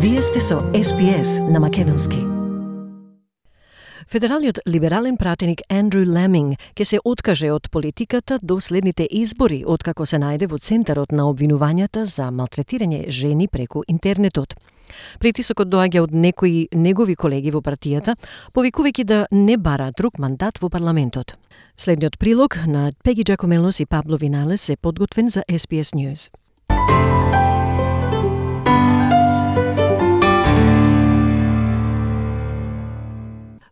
Вие сте со SPS на македонски. Федералниот либерален пратеник Андрю Ламинг ќе се откаже од политиката до следните избори, откако се најде во центарот на обвинувањата за малтретирање жени преку интернетот. Притисокот доаѓа од некои негови колеги во партијата, повикувајќи да не бара друг мандат во парламентот. Следниот прилог на Пеги Джакомелос и Пабло Виналес е подготвен за SPS News.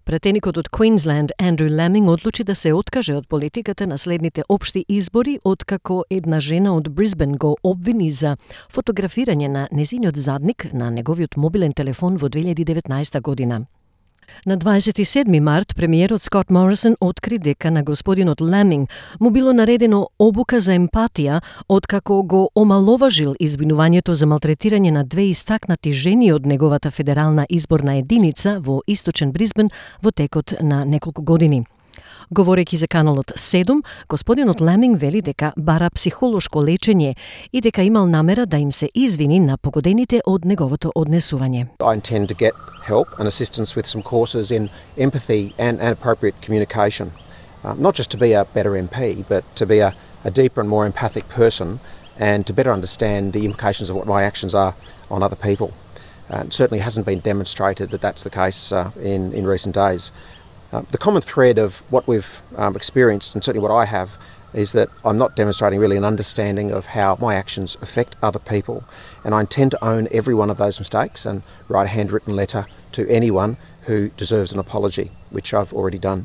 Пратеникот од Квинсленд Андрю Ламинг одлучи да се откаже од политиката на следните општи избори, откако една жена од Брисбен го обвини за фотографирање на незиниот задник на неговиот мобилен телефон во 2019 година. На 27 март, премиерот Скот Морисон откри дека на господинот Ламинг му било наредено обука за емпатија, откако го омаловажил извинувањето за малтретирање на две истакнати жени од неговата федерална изборна единица во источен Брисбен во текот на неколку години. Говорејќи за каналот 7, господинот Ламинг вели дека бара психолошко лечење и дека имал намера да им се извини на погодените од неговото однесување. I intend to get help and assistance with some courses in empathy and appropriate communication. Not just to be a better MP, but to be a deeper and more empathic person and to better understand the implications of what my actions are on other people. It certainly hasn't been demonstrated that that's the case in recent days. The common thread of what we've experienced, and certainly what I have, is that I'm not demonstrating really an understanding of how my actions affect other people, and I intend to own every one of those mistakes and write a handwritten letter to anyone who deserves an apology, which I've already done.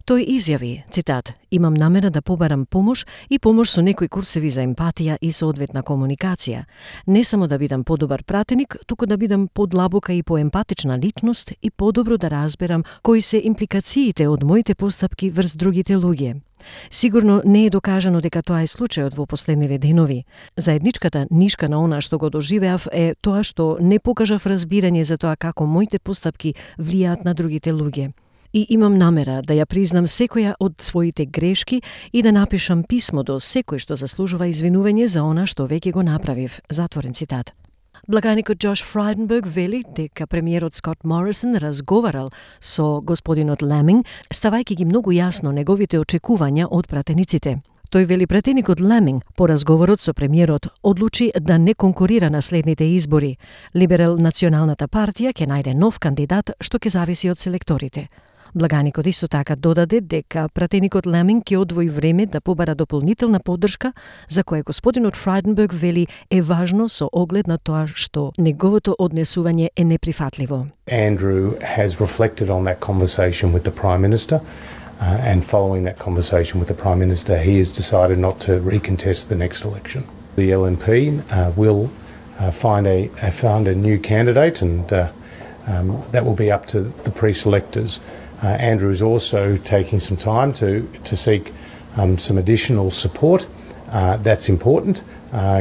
Тој изјави, цитат, имам намера да побарам помош и помош со некои курсеви за емпатија и соодветна комуникација. Не само да бидам подобар пратеник, туку да бидам подлабока и поемпатична личност и подобро да разберам кои се импликациите од моите постапки врз другите луѓе. Сигурно не е докажано дека тоа е случајот во последниве денови. Заедничката нишка на она што го доживеав е тоа што не покажав разбирање за тоа како моите постапки влијаат на другите луѓе. И имам намера да ја признам секоја од своите грешки и да напишам писмо до секој што заслужува извинување за она што веќе го направив. Затворен цитат. Благаникот Джош Фрайденберг вели дека премиерот Скот Морисон разговарал со господинот Ламинг, ставајќи ги многу јасно неговите очекувања од пратениците. Тој вели пратеникот Ламинг по разговорот со премиерот одлучи да не конкурира на следните избори. Либерал Националната партија ќе најде нов кандидат што ќе зависи од селекторите. Благаникот исто така додаде дека пратеникот Ламинг ќе одвои време да побара дополнителна поддршка, за кое господинот Фрайденберг вели е важно со оглед на тоа што неговото однесување е неприфатливо. Andrew has reflected on that conversation with the Prime Minister, and following that conversation with the Prime Minister, he has decided not to recontest the next election. The LNP will find a new candidate, and that will be up to the pre-selectors. Andrew is also taking some time to seek some additional support. That's important,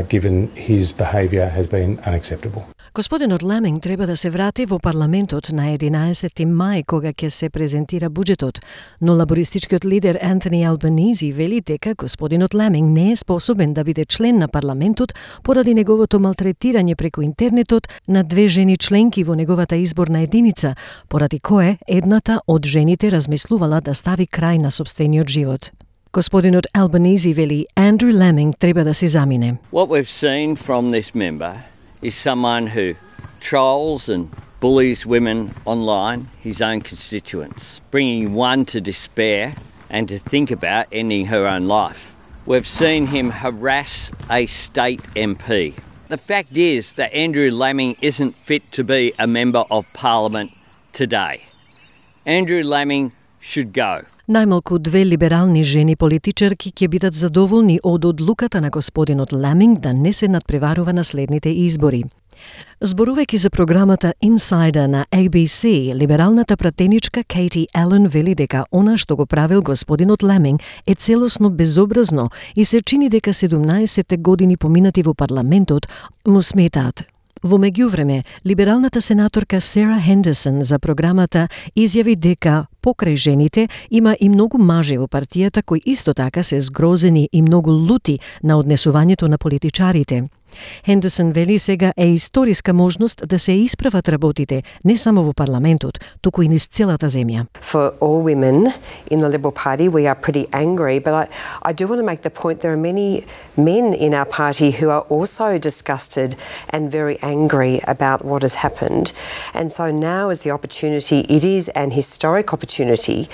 given his behaviour has been unacceptable. Господинот Ламинг треба да се врати во парламентот на 11 мај кога ќе се презентира буџетот, но лабористичкиот лидер Антони Албанизи вели дека господинот Ламинг не е способен да биде член на парламентот поради неговото малтретирање преку интернетот на две жени членки во неговата изборна единица, поради кое едната од жените размислувала да стави крај на сопствениот живот. Господинот Албанизи вели Андрю Ламинг треба да се замине. What we've seen from this member is someone who trolls and bullies women online, his own constituents, bringing one to despair and to think about ending her own life. We've seen him harass a state MP. The fact is that Andrew Laming isn't fit to be a member of Parliament today. Andrew Laming should go. Најмалку две либерални жени политичарки ќе бидат задоволни од одлуката на господинот Ламинг да не се надпреварува на следните избори. Зборувајќи за програмата Insider на ABC, либералната пратеничка Кейти Ален вели дека она што го правил господинот Ламинг е целосно безобразно и се чини дека 17 години поминати во парламентот му сметаат. Во меѓувреме, либералната сенаторка Сара Хендерсон за програмата изјави дека покрај жените има и многу мажи во партијата кои исто така се згрозени и многу лути на однесувањето на политичарите. Хендерсон вели сега е историска можност да се исправат работите не само во парламентот, туку и низ целата земја. For all women in the Liberal Party, we are pretty angry, but I do want to make the point there are many men in our party who are also disgusted and very angry about what has happened. And so now is the opportunity, it is an historic opportunity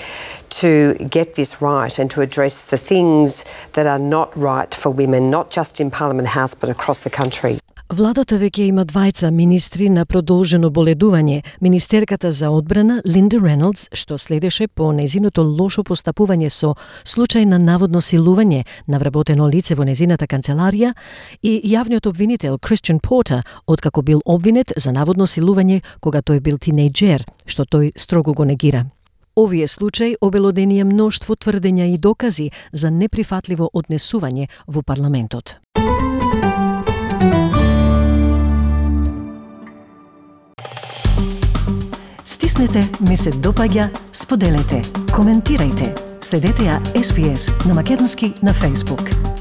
to get this right and to address the things that are not right for women, not just in Parliament House but across the country. Владата веќе има двајца министри на продолжено боледување, министерката за одбрана Линда Реналдс, што следеше по незиното лошо постапување со случај на наводно силување на вработено лице во незината канцеларија, и јавниот обвинител Кристијан Портер, откако бил обвинет за наводно силување кога тој бил тинејџер, што тој строго го негира. Овие случаи обелоденија мноштво тврдења и докази за неприфатливо однесување во парламентот. Стиснете, ми се допаѓа, споделете, коментирајте. Следете ја SPS на македонски на Facebook.